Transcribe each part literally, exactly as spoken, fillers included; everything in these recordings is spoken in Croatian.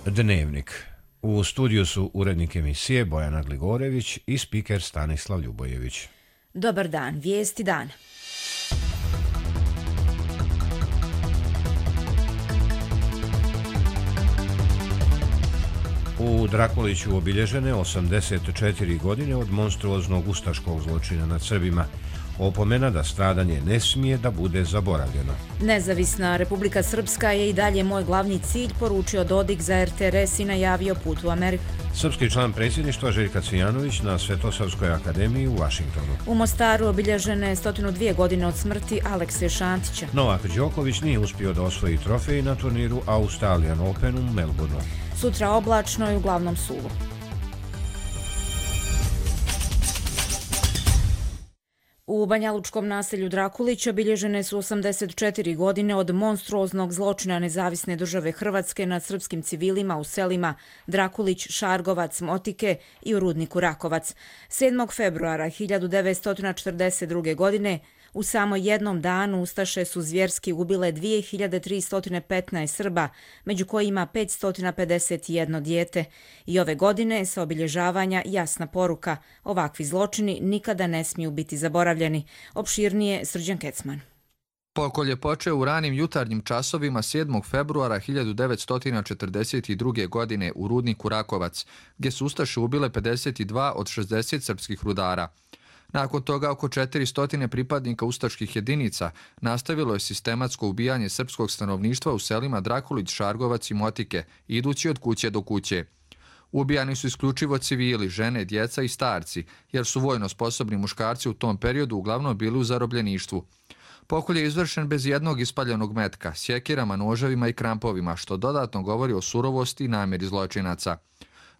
Dnevnik. U studiju su urednik emisije Bojana Gligorević i spiker Stanislav Ljubojević. Dobar dan, vijesti dana. U Drakuliću obilježene osamdeset četiri godine od monstruoznog ustaškog zločina nad Srbima. Opomena da stradanje ne smije da bude zaboravljeno. Nezavisna Republika Srpska je i dalje moj glavni cilj, poručio Dodik za er te er es i najavio put u Ameriku. Srpski član predsjedništva Željka Cvijanović na Svetosavskoj akademiji u Vašingtonu. U Mostaru obilježene sto dvije godine od smrti Alekse Šantića. Novak Đoković nije uspio da osvoji trofej na turniru Australian Open u Melbourneu. Sutra oblačno i uglavnom suvo. U banjalučkom naselju Drakulić obilježene su osamdeset četiri godine od monstruoznog zločina Nezavisne države Hrvatske nad srpskim civilima u selima Drakulić, Šargovac, Motike i u rudniku Rakovac. sedmog februara hiljadu devetsto četrdeset druge. godine u samo jednom danu ustaše su zvjerski ubile dvije hiljade tristo petnaest Srba, među kojima petsto pedeset jedno dijete. I ove godine sa obilježavanja jasna poruka: ovakvi zločini nikada ne smiju biti zaboravljeni. Opširnije Srđan Kecman. Pokolj je počeo u ranim jutarnjim časovima sedmog februara hiljadu devetsto četrdeset druge. godine u rudniku Rakovac, gdje su ustaše ubile pedeset dva od šezdeset srpskih rudara. Nakon toga oko četiristo pripadnika ustaških jedinica nastavilo je sistematsko ubijanje srpskog stanovništva u selima Drakulić, Šargovac i Motike, idući od kuće do kuće. Ubijani su isključivo civili, žene, djeca i starci, jer su vojno sposobni muškarci u tom periodu uglavnom bili u zarobljeništvu. Pokolj je izvršen bez jednog ispaljenog metka, sjekirama, noževima i krampovima, što dodatno govori o surovosti i namjeri zločinaca.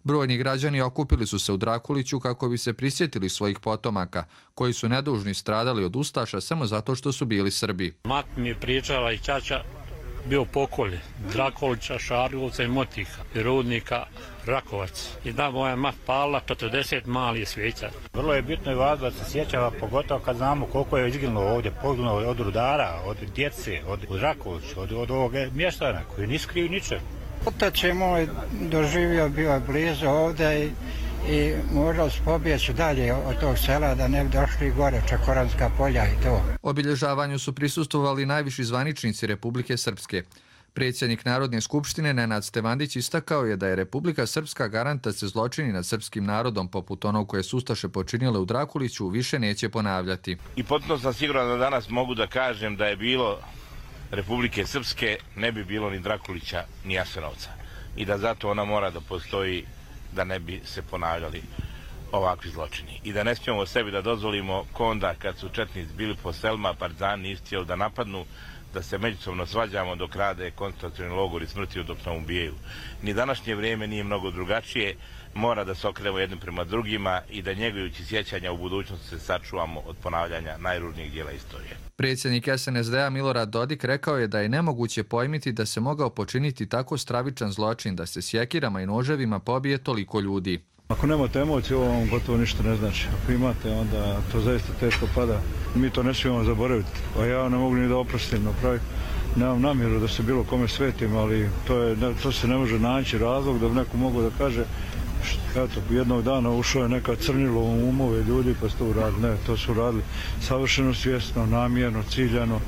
Brojni građani okupili su se u Drakuliću kako bi se prisjetili svojih potomaka, koji su nedužni stradali od ustaša samo zato što su bili Srbi. Mat mi je pričala i ćaća bio Pokolj, Drakulića, Šargovca i Motika, i rudnika Rakovac. I da moja mat pala četrdeset malih svijeća. Vrlo je bitno i važno da se sjećava, pogotovo kad znamo koliko je izginulo ovdje, poginulo od rudara, od djece, od Rakovića, od, od ovog mještana koji nisu krivi ničeg. Otac je moj doživio, bio je blizu ovdje i, i morali su pobjeći dalje od tog sela da ne bi došli gore, Čakoranska polja i to. Obilježavanju su prisustvovali najviši zvaničnici Republike Srpske. Predsjednik Narodne skupštine Nenad Stevandić istakao je da je Republika Srpska garant da se zločini nad srpskim narodom, poput onog koje su ustaše počinile u Drakuliću, više neće ponavljati. I potpuno sam siguran da danas mogu da kažem da je bilo Republike Srpske, ne bi bilo ni Drakulića ni Jasenovca. I da zato ona mora da postoji da ne bi se ponavljali ovakvi zločini. I da ne smijemo sebi da dozvolimo konda kad su četnici bili po selima, partizani nisu htjeli da napadnu, da se međusobno svađamo dok rade koncentracioni logori smrti dok nam ubijaju. Ni današnje vrijeme nije mnogo drugačije, mora da se okrenemo jednim prema drugima i da njegujući sjećanja u budućnosti se sačuvamo od ponavljanja najružnijih dijela istorije. Predsjednik es en es de a Milorad Dodik rekao je da je nemoguće pojmiti da se mogao počiniti tako stravičan zločin, da se sjekirama i noževima pobije toliko ljudi. Ako nemate emocije, ovo vam gotovo ništa ne znači. Ako imate, onda to zaista teško pada. Mi to ne smijemo zaboraviti. A ja ne mogu ni da oprostim napravi. Nemam namjeru da se bilo kome svetim, ali to, je, to se ne može naći razlog da bi neko mogu da kaže eto, jednog dana ušao je neka crnilo u umove ljudi pa su to uradili. Ne, to su uradili savršeno svjesno, namjerno, ciljano,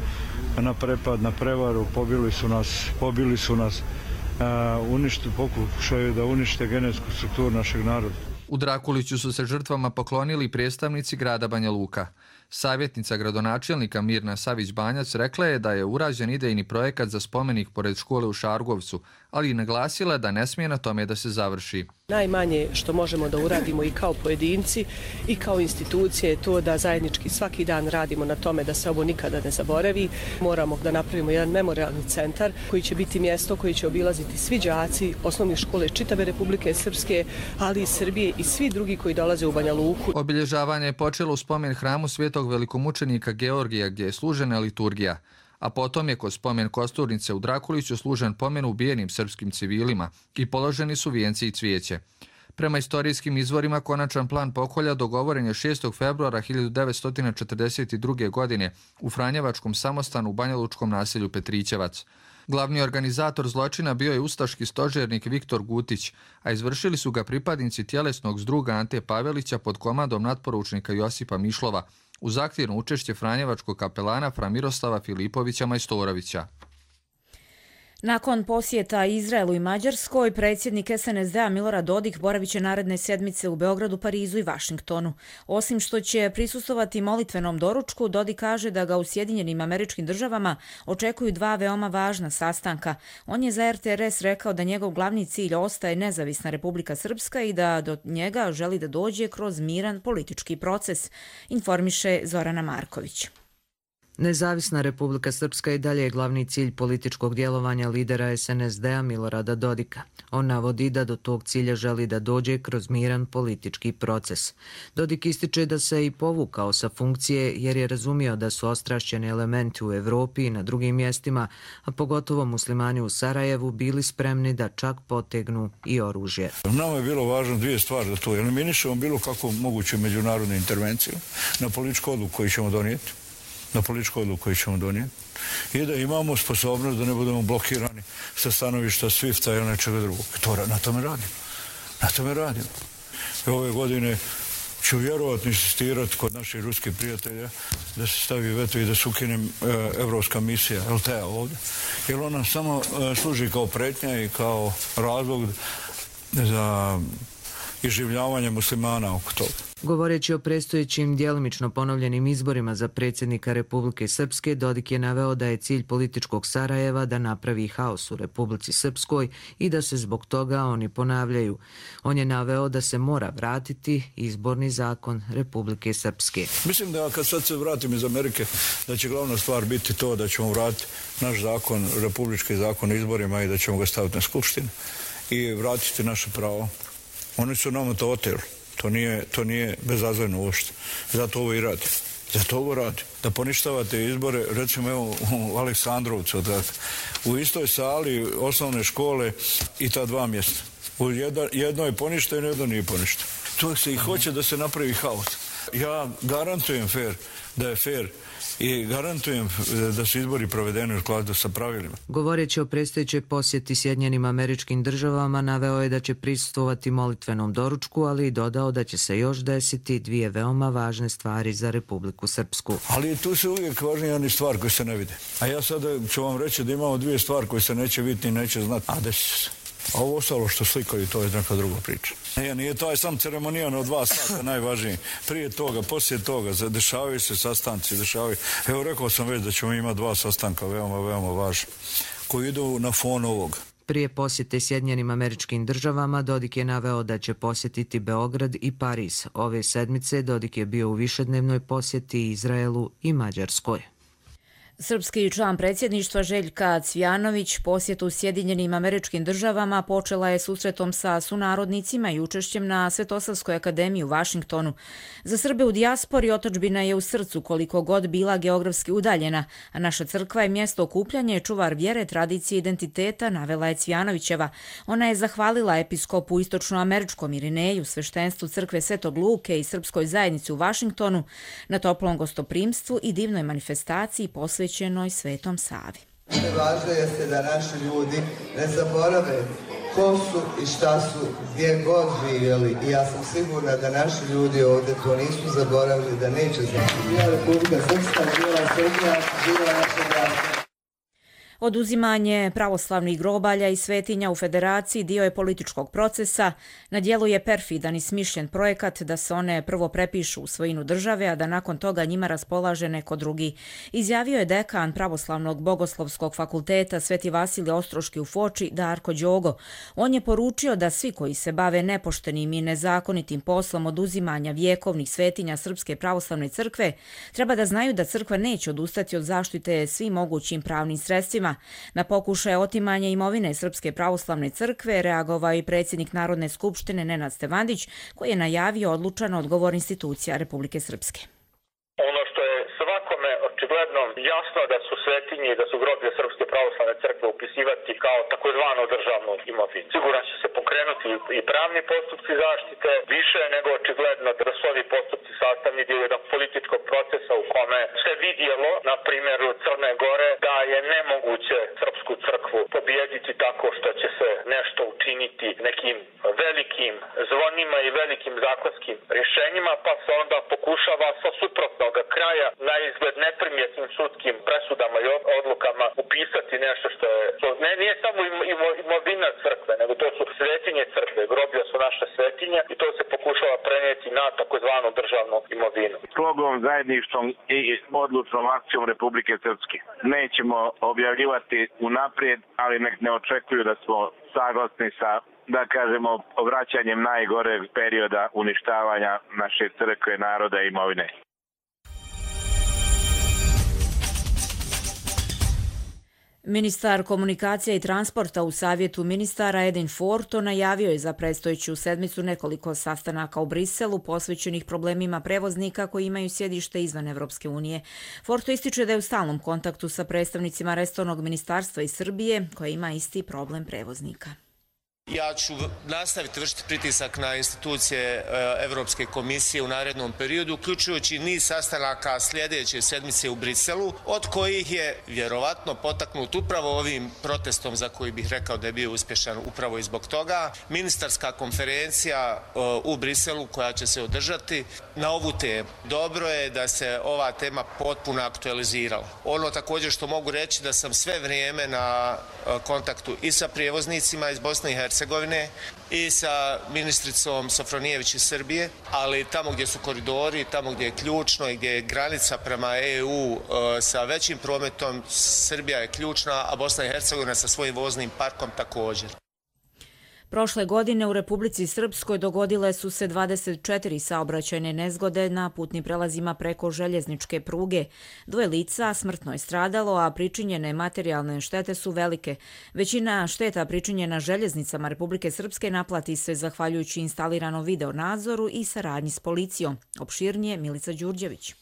na prepad, na prevaru, pobili su nas, pobili su nas, uh, uništi, pokušaju da unište genetsku strukturu našeg naroda. U Drakuliću su se žrtvama poklonili predstavnici grada Banja Luka. Savjetnica gradonačelnika Mirna Savić-Banjac rekla je da je urađen idejni projekat za spomenik pored škole u Šargovcu, ali i naglasila da ne smije na tome da se završi. Najmanje što možemo da uradimo i kao pojedinci i kao institucije je to da zajednički svaki dan radimo na tome da se ovo nikada ne zaboravi. Moramo da napravimo jedan memorialni centar koji će biti mjesto koji će obilaziti svi đaci osnovne škole čitave Republike Srpske, ali i Srbije i svi drugi koji dolaze u Banja Luku. Obilježavanje je počelo u spomen hramu Svetog velikomučenika Georgija gdje je služena liturgija, a potom je kod spomen kosturnice u Drakuliću služen pomen ubijenim srpskim civilima i položeni su vijenci i cvijeće. Prema istorijskim izvorima, konačan plan pokolja dogovoren je šestog februara hiljadu devetsto četrdeset druge. godine u Franjevačkom samostanu u banjalučkom naselju Petrićevac. Glavni organizator zločina bio je ustaški stožernik Viktor Gutić, a izvršili su ga pripadnici tjelesnog zdruga Ante Pavelića pod komandom natporučnika Josipa Mišlova, uz aktivno učešće franjevačkog kapelana fra Miroslava Filipovića Majstorovića. Nakon posjeta Izraelu i Mađarskoj, predsjednik es en es de a Milorad Dodik boravit će naredne sedmice u Beogradu, Parizu i Vašingtonu. Osim što će prisustvovati molitvenom doručku, Dodik kaže da ga u Sjedinjenim Američkim Državama očekuju dva veoma važna sastanka. On je za er te er es rekao da njegov glavni cilj ostaje nezavisna Republika Srpska i da do njega želi da dođe kroz miran politički proces, informiše Zorana Marković. Nezavisna Republika Srpska i dalje je glavni cilj političkog djelovanja lidera es en es de a Milorada Dodika. On navodi da do tog cilja želi da dođe kroz miran politički proces. Dodik ističe da se i povukao sa funkcije jer je razumio da su ostrašćeni elementi u Evropi i na drugim mjestima, a pogotovo muslimani u Sarajevu, bili spremni da čak potegnu i oružje. Nama je bilo važno dvije stvari, da to eliminišemo bilo kako moguće međunarodnu intervenciju na političku odluku koju ćemo donijeti. na političku odluku koju ćemo donijeti i da imamo sposobnost da ne budemo blokirani sa stanovišta svifta ili nečega drugog. To, na tome radimo. Na tome radimo. I ove godine ću vjerovatno insistirati kod naših ruskih prijatelja da se stavi veto i da se ukine e, evropska misija el te a ovdje. Jer ona samo e, služi kao pretnja i kao razlog za iživljavanje muslimana oko toga. Govoreći o predstojećim djelomično ponovljenim izborima za predsjednika Republike Srpske, Dodik je naveo da je cilj političkog Sarajeva da napravi haos u Republici Srpskoj i da se zbog toga oni ponavljaju. On je naveo da se mora vratiti izborni zakon Republike Srpske. Mislim da kad sad se vratim iz Amerike, da će glavna stvar biti to da ćemo vratiti naš zakon, republički zakon o izborima i da ćemo ga staviti na skupštinu i vratiti naše pravo. Oni su nama to oteli. To nije, to nije bezazleno uopšte. Zato ovo i radi. Zato ovo radi. Da poništavate izbore, recimo evo u Aleksandrovcu, da, u istoj sali osnovne škole i ta dva mjesta. U jedna, jedno je poništeno, jedno nije poništeno. To se i hoće da se napravi haos. Ja garantujem fair, da je fair i garantujem da su izbori provedeni u skladu sa pravilima. Govoreći o predstojećoj posjeti Sjedinjenim Američkim Državama, naveo je da će prisustvovati molitvenom doručku, ali i dodao da će se još desiti dvije veoma važne stvari za Republiku Srpsku. Ali tu se uvijek važnije oni stvari koje se ne vide. A ja sada ću vam reći da imamo dvije stvari koje se neće vidjeti i neće znati, a desit će se. A ovo ostalo što slikaju, to je neka druga priča. Nije, nije taj sam ceremonijan od dva sata najvažniji. Prije toga, poslije toga, dešavaju se sastanci, dešavaju. Evo, rekao sam već da ćemo imati dva sastanka, veoma, veoma važni, koji idu na fon ovoga. Prije posjete Sjedinjenim Američkim Državama, Dodik je naveo da će posjetiti Beograd i Pariz. Ove sedmice Dodik je bio u višednevnoj posjeti Izraelu i Mađarskoj. Srpski član predsjedništva Željka Cvijanović posjetu Sjedinjenim Američkim Državama počela je susretom sa sunarodnicima i učešćem na Svetosavskoj akademiji u Vašingtonu. Za Srbe u dijaspori otadžbina je u srcu koliko god bila geografski udaljena, a naša crkva je mjesto okupljanja i čuvar vjere, tradicije i identiteta, navela je Cvijanovićeva. Ona je zahvalila episkopu istočnoameričkom Irineju, sveštenstvu crkve Svetog Luke i srpskoj zajednici u Vašingtonu na toplom gostoprimstvu i divnoj manifestaciji posvećenoj Svetom Savi. Važno jeste da naši ljudi ne zaborave ko su i šta su, gdje god živjeli. I ja sam sigurna da naši ljudi ovdje to nisu zaboravili, da neće znati. Živjela Republika Srpska, živjela Srbija, živjela naša braća. Oduzimanje pravoslavnih grobalja i svetinja u Federaciji dio je političkog procesa. Na dijelu je perfidan i smišljen projekat da se one prvo prepišu u svojinu države, a da nakon toga njima raspolaže neko drugi. Izjavio je dekan Pravoslavnog bogoslovskog fakulteta Sveti Vasilije Ostroški u Foči, Darko Đogo. On je poručio da svi koji se bave nepoštenim i nezakonitim poslom oduzimanja vjekovnih svetinja Srpske pravoslavne crkve treba da znaju da crkva neće odustati od zaštite svim mogućim pravnim sredstvima. Na pokušaje otimanja imovine Srpske pravoslavne crkve reagovao i predsjednik Narodne skupštine Nenad Stevandić, koji je najavio odlučan odgovor institucija Republike Srpske. Ono što je svakome očigledno jasno da su svetinje i da su groblje Srpske pravoslavne crkve upisivati kao takozvanu državnu imovinu. Sigurno će se pokrenuti i pravni postupci zaštite, više nego očigledno da su ovi postupci sastavni dio jednog političkog procesa u kome se vidjelo, na primjeru Crne Gore, da je nemoguće Srpsku crkvu ogromnima i velikim zakonskim rješenjima, pa se onda pokušava sa suprotnog kraja na izgled neprimjetnim sudskim presudama i odlukama upisati nešto što je... Što ne, nije samo imovina crkve, nego to su svetinje crkve, groblja su naše svetinje i to se pokušava prenijeti na takozvanu državnu imovinu. Slogom, zajedništvom i odlučnom akcijom Republike Srpske. Nećemo objavljivati unaprijed, ali nek ne očekuju da smo saglasni sa, da kažemo, vraćanjem najgoreg perioda uništavanja naše crkve, naroda i imovine. Ministar komunikacija i transporta u Savjetu ministara Edin Forto najavio je za predstojeću sedmicu nekoliko sastanaka u Briselu posvećenih problemima prevoznika koji imaju sjedište izvan Evropske unije. Forto ističe da je u stalnom kontaktu sa predstavnicima resornog ministarstva iz Srbije koja ima isti problem prevoznika. Ja ću nastaviti vršiti pritisak na institucije Evropske komisije u narednom periodu, uključujući niz sastanaka sljedeće sedmice u Briselu, od kojih je vjerovatno potaknut upravo ovim protestom za koji bih rekao da je bio uspješan upravo i zbog toga. Ministarska konferencija u Briselu koja će se održati na ovu temu. Dobro je da se ova tema potpuno aktualizirala. Ono također što mogu reći da sam sve vrijeme na kontaktu i sa prijevoznicima iz Bosne i Hercegovine i sa ministricom Sofronijević iz Srbije, ali tamo gdje su koridori, tamo gdje je ključno i gdje je granica prema E U sa većim prometom, Srbija je ključna, a Bosna i Hercegovina sa svojim voznim parkom također. Prošle godine u Republici Srpskoj dogodile su se dvadeset četiri saobraćajne nezgode na putnim prelazima preko željezničke pruge. Dvoje lica smrtno je stradalo, a pričinjene materijalne štete su velike. Većina šteta pričinjena željeznicama Republike Srpske naplati se zahvaljujući instaliranom videonadzoru i saradnji s policijom. Opširnije Milica Đurđević.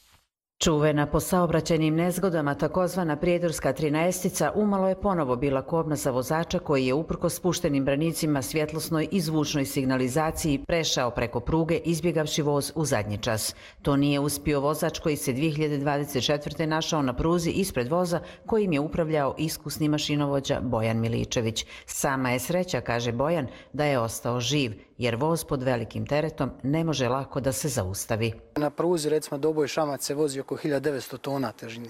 Čuvena po saobraćajnim nezgodama takozvana prijedorska trinaestica umalo je ponovo bila kobna za vozača koji je uprkos spuštenim branicima svjetlosnoj i zvučnoj signalizaciji prešao preko pruge izbjegavši voz u zadnji čas. To nije uspio vozač koji se dvije hiljade dvadeset četvrte našao na pruzi ispred voza kojim je upravljao iskusni mašinovođa Bojan Miličević. Sama je sreća, kaže Bojan, da je ostao živ, jer voz pod velikim teretom ne može lako da se zaustavi. Na pruzi, recimo, Doboj Šamac se vozi oko hiljadu devetsto tona težine.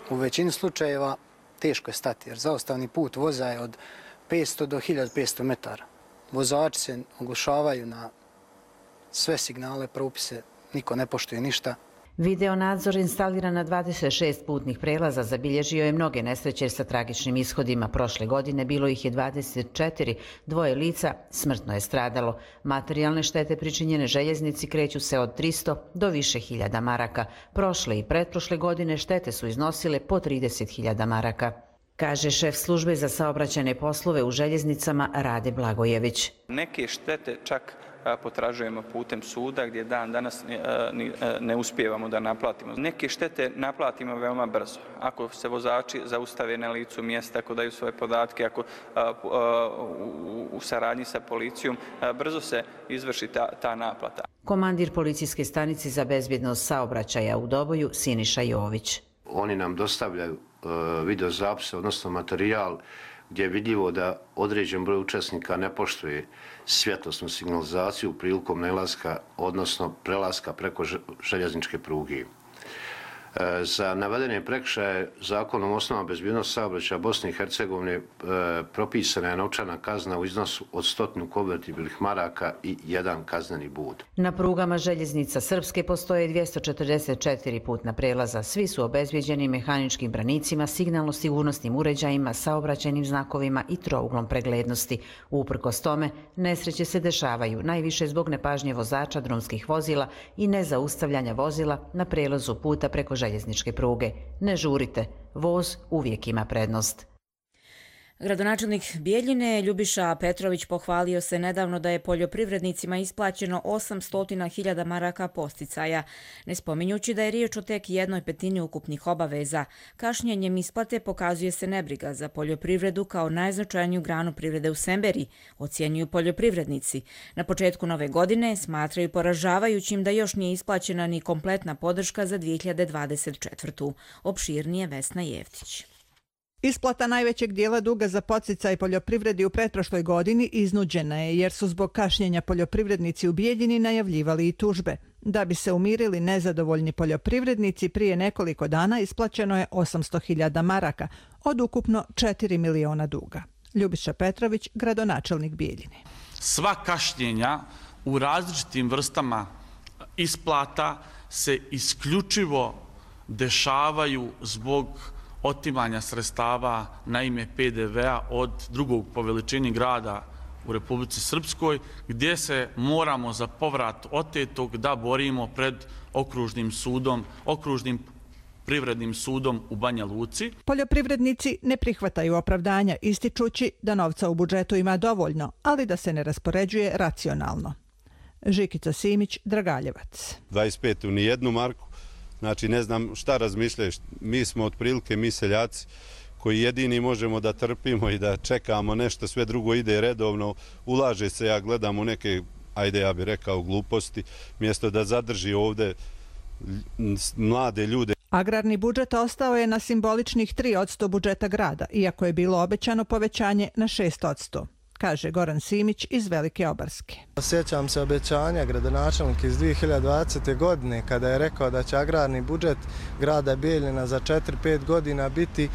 U većini slučajeva teško je stati, jer zaustavni put voza je od petsto do hiljadu petsto metara. Vozači se oglušavaju na sve signale, propise, niko ne poštuje ništa. Videonadzor instaliran na dvadeset šest putnih prelaza zabilježio je mnoge nesreće sa tragičnim ishodima. Prošle godine bilo ih je dvadeset četiri, dvoje lica smrtno je stradalo. Materijalne štete pričinjene željeznici kreću se od tristo do više hiljada maraka. Prošle i pretprošle godine štete su iznosile po trideset hiljada maraka, kaže šef službe za saobraćajne poslove u željeznicama Rade Blagojević. Neke štete čak potražujemo putem suda gdje dan danas ne uspijevamo da naplatimo. Neke štete naplatimo veoma brzo. Ako se vozači zaustave na licu mjesta, ako daju svoje podatke, ako u saradnji sa policijom, brzo se izvrši ta, ta naplata. Komandir policijske stanice za bezbjednost saobraćaja u Doboju Siniša Jović. Oni nam dostavljaju videozapise, odnosno materijal gdje je vidljivo da određen broj učesnika ne poštuje svjetlosnu signalizaciju prilikom nalaska, odnosno prelaska preko željezničke pruge. Za navedene prekršaje zakonom o osnovama bezbjednosti saobraćaja Bosne i Hercegovine propisana je novčana kazna u iznosu od stotinu konvertibilnih maraka i jedan kazneni bod. Na prugama željeznica Srpske postoje dvjesto četrdeset četiri putna prelaza. Svi su obezbjeđeni mehaničkim branicima, signalno-sigurnosnim uređajima, saobraćajnim znakovima i trouglom preglednosti. Uprkos tome, nesreće se dešavaju najviše zbog nepažnje vozača drumskih vozila i nezaustavljanja vozila na prelazu puta preko željezničke pruge. Ne žurite, voz uvijek ima prednost. Gradonačelnik Bijeljine Ljubiša Petrović pohvalio se nedavno da je poljoprivrednicima isplaćeno osamsto hiljada maraka posticaja, ne spominjući da je riječ o tek jednoj petini ukupnih obaveza. Kašnjenjem isplate pokazuje se nebriga za poljoprivredu kao najznačajniju granu privrede u Semberiji, ocjenjuju poljoprivrednici. Na početku nove godine smatraju poražavajućim da još nije isplaćena ni kompletna podrška za dvije hiljade dvadeset četvrtu. Opširnije Vesna Jevtić. Isplata najvećeg dijela duga za podsticaj poljoprivredi u pretprošloj godini iznuđena je jer su zbog kašnjenja poljoprivrednici u Bijeljini najavljivali i tužbe. Da bi se umirili nezadovoljni poljoprivrednici, prije nekoliko dana isplaćeno je osamsto hiljada maraka od ukupno četiri miliona duga. Ljubiša Petrović, gradonačelnik Bijeljine. Sva kašnjenja u različitim vrstama isplata se isključivo dešavaju zbog otimanja sredstava na ime P D V-a od drugog po veličini grada u Republici Srpskoj, gdje se moramo za povrat otetog da borimo pred okružnim sudom, okružnim privrednim sudom u Banja Luci. Poljoprivrednici ne prihvataju opravdanja, ističući da novca u budžetu ima dovoljno, ali da se ne raspoređuje racionalno. Žikica Simić, Dragaljevac. dvadeset pet u nijednu marku. Znači, ne znam šta razmišljaju. Mi smo otprilike, mi seljaci, koji jedini možemo da trpimo i da čekamo nešto, sve drugo ide redovno, ulaže se, ja gledam u neke, ajde ja bih rekao, gluposti, mjesto da zadrži ovde mlade ljude. Agrarni budžet ostao je na simboličnih tri posto budžeta grada, iako je bilo obećano povećanje na šest posto. Kaže Goran Simić iz Velike Obarske. Sjećam se obećanja gradonačelnika iz dvije hiljade dvadesete. godine kada je rekao da će agrarni budžet grada Bijeljina za četiri pet godina biti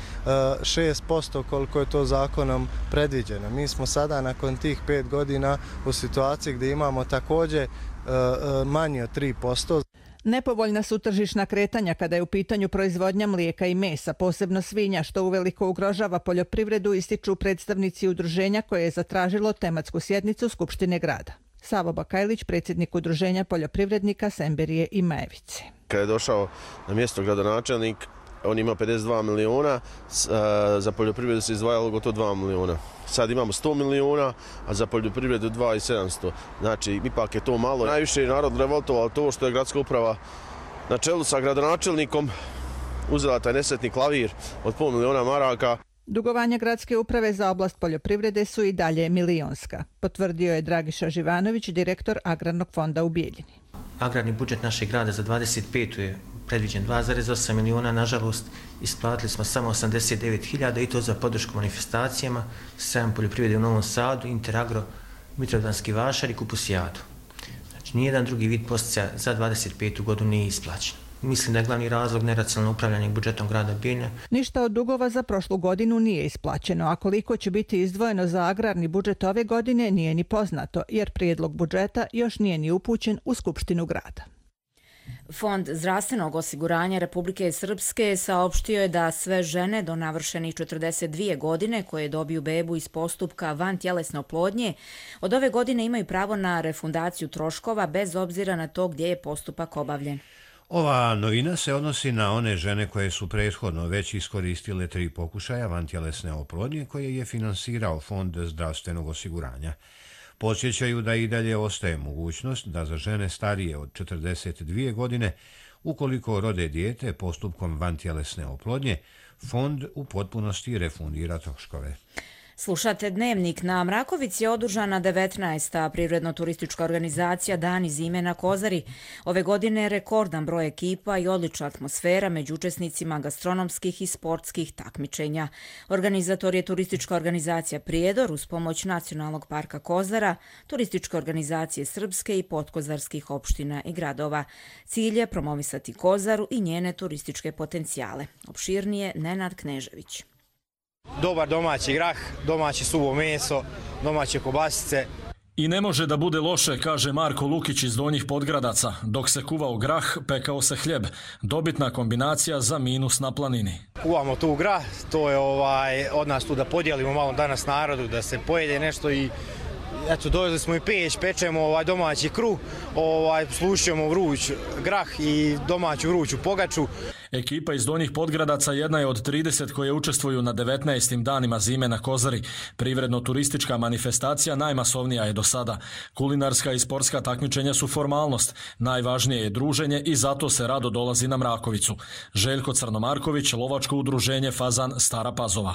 šest posto koliko je to zakonom predviđeno. Mi smo sada nakon tih pet godina u situaciji gdje imamo također manje od tri posto. Nepovoljna su tržišna kretanja kada je u pitanju proizvodnja mlijeka i mesa, posebno svinja, što uveliko ugrožava poljoprivredu, ističu predstavnici udruženja koje je zatražilo tematsku sjednicu Skupštine grada. Savo Bakajlić, predsjednik udruženja poljoprivrednika Semberije i Majevice. Kada je došao na mjesto gradonačelnik, on ima pedeset dva miliona, za poljoprivredu se izdvajalo gotovo dva miliona. Sad imamo sto miliona, a za poljoprivredu dva i sedamsto. Znači, ipak je to malo. Najviše je narod revoltovalo to što je gradska uprava na čelu sa gradonačelnikom uzela taj nesretni klavir od pol miliona maraka. Dugovanja gradske uprave za oblast poljoprivrede su i dalje milionska, potvrdio je Dragiša Živanović, direktor Agrarnog fonda u Bijeljini. Agrarni budžet našeg grada za dvadeset petu je predviđen dva zarez osam miliona, nažalost isplatili smo samo osamdeset devet hiljada i to za podršku manifestacijama, sajam poljoprivrede u Novom Sadu, Interagro, Mitrovdanski vašar i Kupusijadu. Znači, nijedan drugi vid podsticaja za dvadeset petu. godinu nije isplaćen. Mislim da je glavni razlog neracionalno upravljanje budžetom grada Bijeljina. Ništa od dugova za prošlu godinu nije isplaćeno, a koliko će biti izdvojeno za agrarni budžet ove godine nije ni poznato, jer prijedlog budžeta još nije ni upućen u Skupštinu grada. Fond zdravstvenog osiguranja Republike Srpske saopštio je da sve žene do navršenih četrdeset dvije godine koje dobiju bebu iz postupka vantjelesne oplodnje od ove godine imaju pravo na refundaciju troškova bez obzira na to gdje je postupak obavljen. Ova novina se odnosi na one žene koje su prethodno već iskoristile tri pokušaja vantjelesne oplodnje koje je finansirao Fond zdravstvenog osiguranja. Podsjećaju da i dalje ostaje mogućnost da za žene starije od četrdeset dvije godine, ukoliko rode dijete postupkom vantjelesne oplodnje, fond u potpunosti refundira troškove. Slušate Dnevnik. Na Mrakovici je održana devetnaesta privredno-turistička organizacija Dani zime na Kozari. Ove godine rekordan broj ekipa i odlična atmosfera među učesnicima gastronomskih i sportskih takmičenja. Organizator je turistička organizacija Prijedor uz pomoć Nacionalnog parka Kozara, turističke organizacije Srpske i podkozarskih opština i gradova. Cilj je promovisati Kozaru i njene turističke potencijale. Opširnije Nenad Knežević. Dobar domaći grah, domaće suvo meso, domaće kobasice. I ne može da bude loše, kaže Marko Lukić iz Donjih Podgradaca. Dok se kuvao grah, pekao se hljeb. Dobitna kombinacija za minus na planini. Kuvamo tu grah, to je ovaj, od nas tu da podijelimo malo danas narodu, da se pojede nešto i eto, doveli smo i peć, pečemo ovaj domaći kruh, ovaj, slušamo vruć grah i domaću vruću pogaču. Ekipa iz Donjih Podgradaca jedna je od trideset koje učestvuju na devetnaestim danima zime na Kozari. Privredno-turistička manifestacija najmasovnija je do sada. Kulinarska i sportska takmičenja su formalnost. Najvažnije je druženje i zato se rado dolazi na Mrakovicu. Željko Crnomarković, lovačko udruženje Fazan Stara Pazova.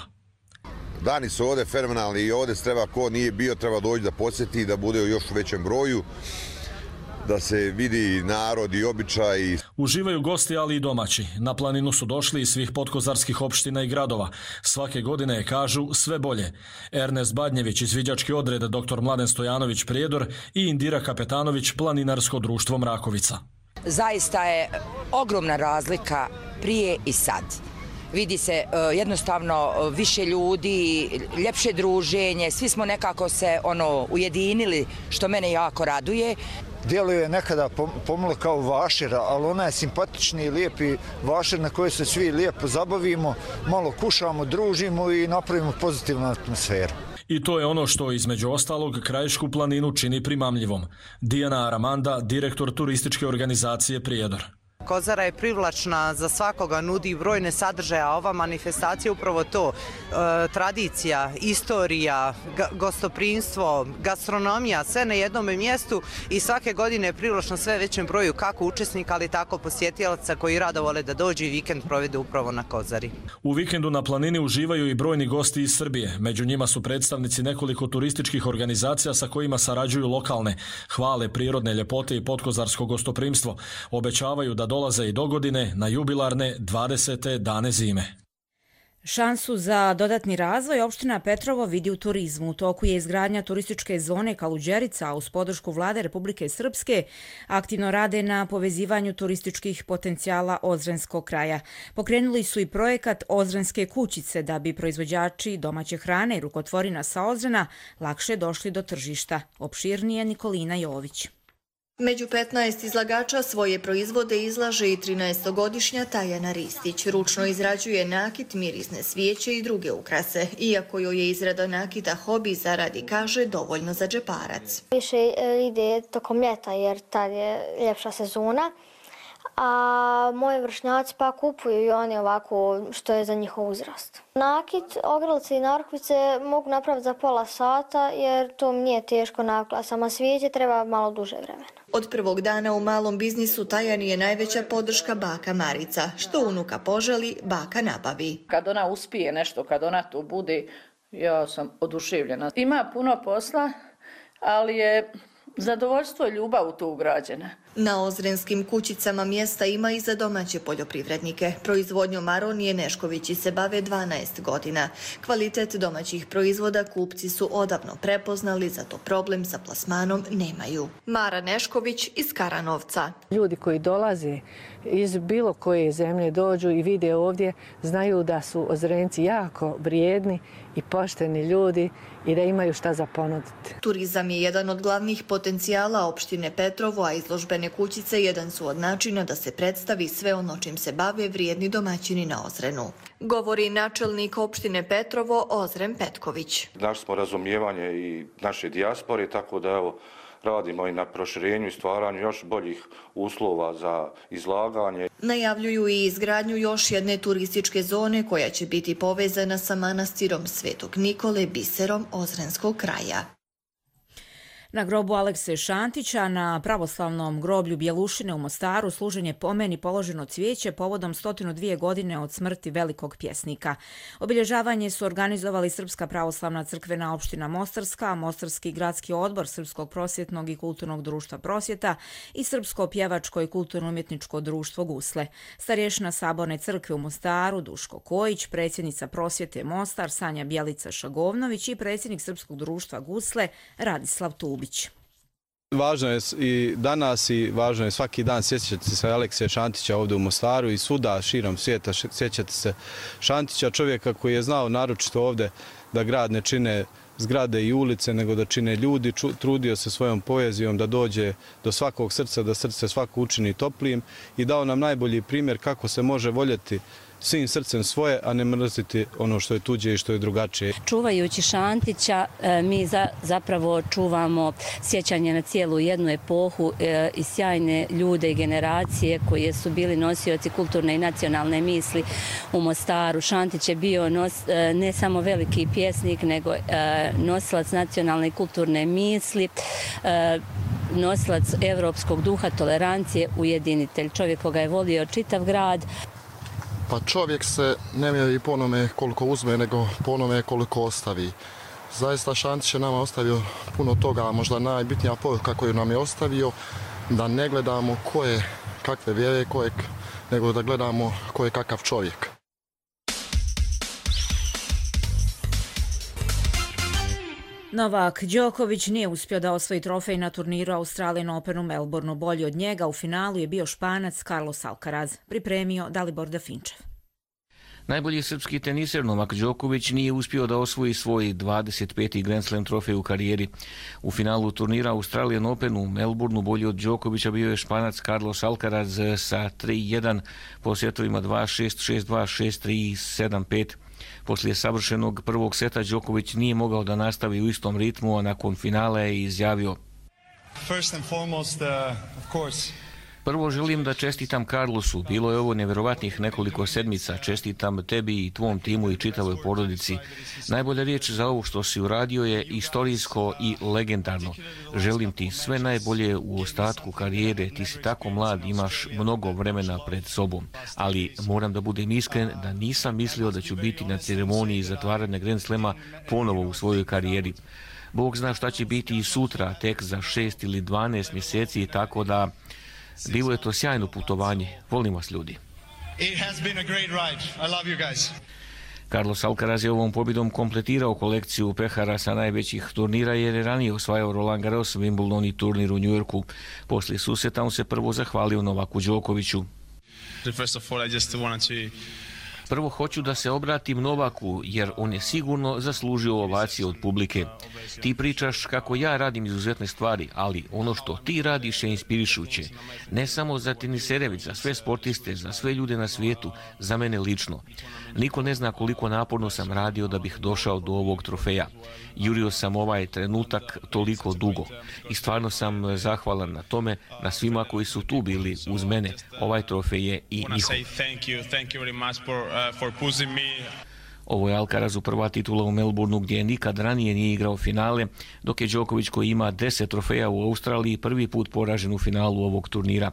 Dani su ovdje fenomenalni i ovdje treba, ko nije bio, treba doći da posjeti i da bude u još većem broju. da se vidi narod i običaj. Uživaju gosti, ali i domaći. Na planinu su došli iz svih podkozarskih opština i gradova. Svake godine, kažu, sve bolje. Ernest Badnjević, izviđački odred doktor Mladen Stojanović Prijedor i Indira Kapetanović, Planinarsko društvo Mrakovica. Zaista je ogromna razlika prije i sad. Vidi se jednostavno više ljudi, ljepše druženje, svi smo nekako se ono ujedinili, što mene jako raduje. Djeluje nekada pomalo kao vašir, ali ona je simpatični i lijepi vašir na kojoj se svi lijepo zabavimo, malo kušamo, družimo i napravimo pozitivnu atmosferu. I to je ono što između ostalog Krajišku planinu čini primamljivom. Dijana Aramanda, direktor turističke organizacije Prijedor. Kozara je privlačna za svakoga, nudi brojne sadržaje, a ova manifestacija je upravo to. E, tradicija, istorija, ga, gostoprinstvo, gastronomija, sve na jednom mjestu i svake godine je privlačno sve većem broju kako učesnika, ali tako posjetioca koji rado vole da dođu i vikend provedu upravo na Kozari. U vikendu na planini uživaju i brojni gosti iz Srbije. Među njima su predstavnici nekoliko turističkih organizacija sa kojima sarađuju lokalne, hvale prirodne ljepote i podkozarsko gostoprimstvo. Obećavaju da dolaze i dogodine na jubilarne dvadesete dane zime. Šansu za dodatni razvoj opština Petrovo vidi u turizmu. U toku je izgradnja turističke zone Kaluđerica, a uz podršku vlade Republike Srpske aktivno rade na povezivanju turističkih potencijala Ozrenskog kraja. Pokrenuli su i projekat Ozrenske kućice da bi proizvođači domaće hrane i rukotvorina sa Ozrena lakše došli do tržišta. Opširnije Nikolina Jović. Među petnaest izlagača svoje proizvode izlaže i trinaestogodišnja Tajana Ristić. Ručno izrađuje nakit, mirisne svijeće i druge ukrase. Iako joj je izrada nakita hobi, zaradi, kaže, dovoljno za džeparac. Više ide tokom ljeta jer tad je ljepša sezona, a moji vršnjaci pa kupuju i oni ovako što je za njihov uzrast. Nakit, ogrlice i narukvice mogu napraviti za pola sata jer to mi nije teško navikla. Sama svijeće treba malo duže vremena. Od prvog dana u malom biznisu Tajani je najveća podrška baka Marica. Što unuka poželi, baka nabavi. Kad ona uspije nešto, kad ona tu bude, ja sam oduševljena. Ima puno posla, ali je zadovoljstvo i ljubav u to ugrađena. Na Ozrenskim kućicama mjesta ima i za domaće poljoprivrednike. Proizvodnjom Aronije Neškovići se bave dvanaest godina. Kvalitet domaćih proizvoda kupci su odavno prepoznali, zato problem sa plasmanom nemaju. Mara Nešković iz Karanovca. Ljudi koji dolaze iz bilo koje zemlje dođu i vide ovdje, znaju da su Ozrenci jako vrijedni i pošteni ljudi i da imaju šta za ponuditi. Turizam je jedan od glavnih potencijala opštine Petrovo, a izložbene kućice jedan su od načina da se predstavi sve ono čim se bave vrijedni domaćini na Ozrenu. Govori načelnik opštine Petrovo Ozren Petković. Našli smo razumijevanje i naše dijaspore, tako da evo radimo i na proširenju i stvaranju još boljih uslova za izlaganje. Najavljuju i izgradnju još jedne turističke zone koja će biti povezana sa manastirom Svetog Nikole, biserom Ozrenskog kraja. Na grobu Alekse Šantića na pravoslavnom groblju Bjelušine u Mostaru služen je pomen i položeno cvijeće povodom sto dvije godine od smrti velikog pjesnika. Obilježavanje su organizovali Srpska pravoslavna crkvena opština Mostarska, Mostarski gradski odbor Srpskog prosvjetnog i kulturnog društva Prosvjeta i Srpsko pjevačko i kulturno-umjetničko društvo Gusle. Starješina Saborne crkve u Mostaru Duško Kojić, predsjednica Prosvjete Mostar Sanja Bjelica Šagovnović i predsjednik Srpskog društva Gusle Radislav Tubić. Važno je i danas i važno je svaki dan sjećati se Alekse Šantića ovdje u Mostaru i svuda širom svijeta sjećati se Šantića, čovjeka koji je znao naročito ovdje da grad ne čine zgrade i ulice, nego da čine ljudi, trudio se svojom poezijom da dođe do svakog srca, da srce svako učini toplijim i dao nam najbolji primjer kako se može voljeti svim srcem svoje, a ne mrziti ono što je tuđe i što je drugačije. Čuvajući Šantića, mi zapravo čuvamo sjećanje na cijelu jednu epohu i sjajne ljude i generacije koje su bili nosioci kulturne i nacionalne misli u Mostaru. Šantić je bio ne samo veliki pjesnik, nego nosilac nacionalne i kulturne misli, nosilac evropskog duha, tolerancije, ujedinitelj. Čovjek koga je volio čitav grad. Pa čovjek se ne mjeri po onome koliko uzme, nego po onome koliko ostavi. Zaista Šantić je nama ostavio puno toga, možda najbitnija poruka koju nam je ostavio da ne gledamo ko je kakve vjere, ko je, nego da gledamo ko je kakav čovjek. Novak Đoković nije uspio da osvoji trofej na turniru Australian Open u Melbourneu. Bolji od njega u finalu je bio Španac Carlos Alcaraz, pripremio Dalibor Dafinčev. Najbolji srpski teniser Novak Đoković nije uspio da osvoji svoj dvadeset peti Grand Slam trofej u karijeri. U finalu turnira Australian Open u Melbourneu bolji od Đokovića bio je Španac Carlos Alcaraz sa tri jedan po setovima dva šest, šest dva, šest tri, sedam pet. Poslije savršenog prvog seta Đoković nije mogao da nastavi u istom ritmu, a nakon finala je izjavio: First and foremost, uh, of course. Prvo želim da čestitam Carlosu, bilo je ovo nevjerovatnih nekoliko sedmica, čestitam tebi i tvom timu i čitavoj porodici. Najbolja riječ za ovo što si uradio je istorijsko i legendarno. Želim ti sve najbolje u ostatku karijere, ti si tako mlad, imaš mnogo vremena pred sobom. Ali moram da budem iskren da nisam mislio da ću biti na ceremoniji zatvaranja Grand Slema ponovo u svojoj karijeri. Bog zna šta će biti i sutra, tek za šest ili dvanaest mjeseci, tako da bilo je to sjajno putovanje. Volim vas, ljudi. It has been a great ride. I love you guys. Carlos Alcaraz je ovom pobjedom kompletirao kolekciju pehara sa najvećih turnira jer je ranije osvajao Roland Garros, Wimbledon i turnir u Njujorku. Poslije susreta on se prvo zahvalio Novaku Đokoviću. First of all, I just wanted to Prvo hoću da se obratim Novaku, jer on je sigurno zaslužio ovacije od publike. Ti pričaš kako ja radim izuzetne stvari, ali ono što ti radiš je inspirišuće. Ne samo za tenisere, već za sve sportiste, za sve ljude na svijetu, za mene lično. Niko ne zna koliko naporno sam radio da bih došao do ovog trofeja. Jurio sam ovaj trenutak toliko dugo. I stvarno sam zahvalan na tome, na svima koji su tu bili uz mene. Ovaj trofej je i njihov. For pushing me. Ovo je Alcarazu prva titula u Melbourneu gdje nikad ranije nije igrao finale, dok je Đoković koji ima deset trofeja u Australiji prvi put poražen u finalu ovog turnira.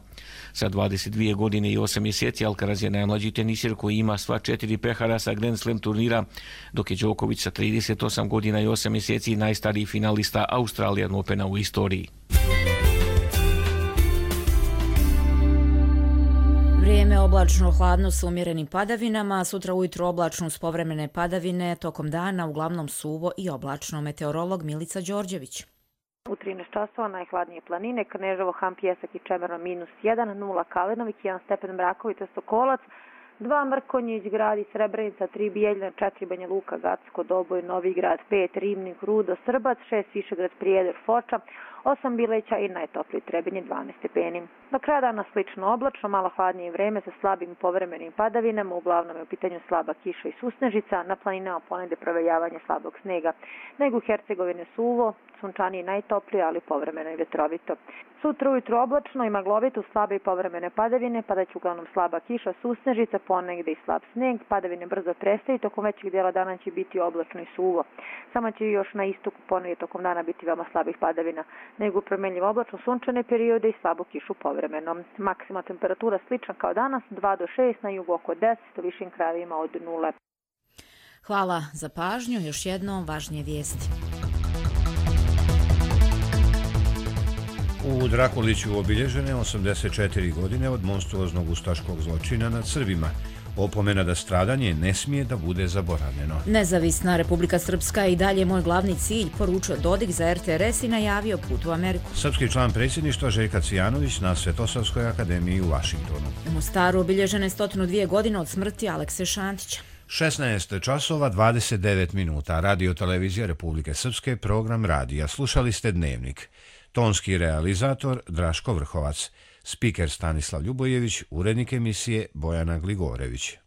Sa dvadeset dvije godine i osam mjeseci Alcaraz je najmlađi tenisir koji ima sva četiri pehara sa Grand Slam turnira, dok je Đoković sa trideset osam godina i osam mjeseci najstariji finalista Australian Opena u istoriji. Vrijeme oblačno, hladno sa umjerenim padavinama, sutra ujutro oblačno uz povremene padavine, tokom dana uglavnom suvo i oblačno. Meteorolog Milica Đorđević. U trinaest časova najhladnije planine, Kneževo, Han, Pjesak i Čemerno minus jedan, nula Kalinovik, jedan stepen Mraković, Sokolac, dva Mrkonjić, grad i Srebrenica, tri Bijeljina, četiri Banja Luka, Gacko, Doboj, Novigrad, pet Ribnik, Rudo, Srbac, šest Višegrad, Prijedor, Foča, osam Bileća i najtopliji Trebinje, dvanaest stepeni. Do kraja dana slično oblačno, malo hladnije vreme sa slabim povremenim padavinama, uglavnom je u pitanju slaba kiša i susnežica, na planinama ponegde provejavanje slabog snega. Nego u Hercegovine suvo, sunčanije i najtoplije, ali povremeno i vetrovito. Sutra ujutro oblačno i maglovito, slabe i povremene padavine, padaće uglavnom slaba kiša, susnežica, ponegde i slab sneg, padavine brzo prestaju, tokom većeg dijela dana će biti oblačno i suvo. Samo će još na istoku ponegde tokom dana biti veoma slabih padavina, nego promenljivo oblačno sunčane periode i slabu kišu povremeno. Maksimalna temperatura slična kao danas, dva do šest, na jugu oko deset, u višim krajevima od nule. Hvala za pažnju, još jednom važnije vijesti. U Drakuliću obilježene osamdeset četiri godine od monstruoznog ustaškog zločina nad Srbima. Opomena da stradanje ne smije da bude zaboravljeno. Nezavisna Republika Srpska i dalje moj glavni cilj, poručio Dodik za er te er es i najavio put u Ameriku. Srpski član predsjedništva Željka Cijanović na Svetosavskoj akademiji u Vašingtonu. U Mostaru obilježene sto dvije godine od smrti Alekse Šantića. šesnaest časova dvadeset devet minuta. Radio televizija Republike Srpske, program radija. Slušali ste Dnevnik. Tonski realizator Draško Vrhovac. Spiker Stanislav Ljubojević, urednik emisije Bojana Gligorević.